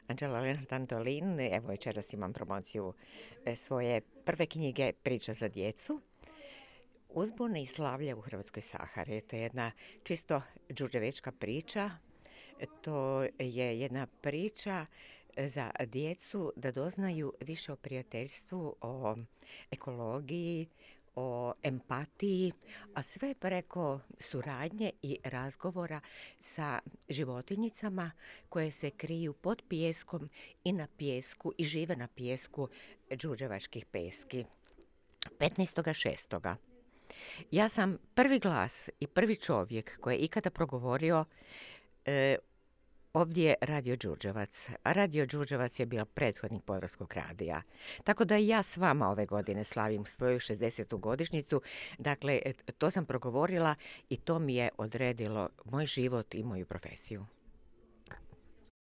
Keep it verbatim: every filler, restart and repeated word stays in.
Anđela Lenart Antolin. Evo večeras imam promociju e, svoje prve knjige Priča za djecu. Uzbune i slavlja u Hrvatskoj Sahari. To je jedna čisto đurđevečka priča. To je jedna priča za djecu da doznaju više o prijateljstvu, o ekologiji, o empatiji, a sve preko suradnje i razgovora sa životinjicama koje se kriju pod pijeskom i na pijesku i žive na pijesku đurđevačkih peski. petnaestog šestog Ja sam prvi glas i prvi čovjek koji je ikada progovorio e, ovdje je Radio Đurđevac, a Radio Đurđevac je bio prethodnik Podravskog radija. Tako da i ja s vama ove godine slavim svoju šezdesetu godišnjicu. Dakle, to sam progovorila i to mi je odredilo moj život i moju profesiju.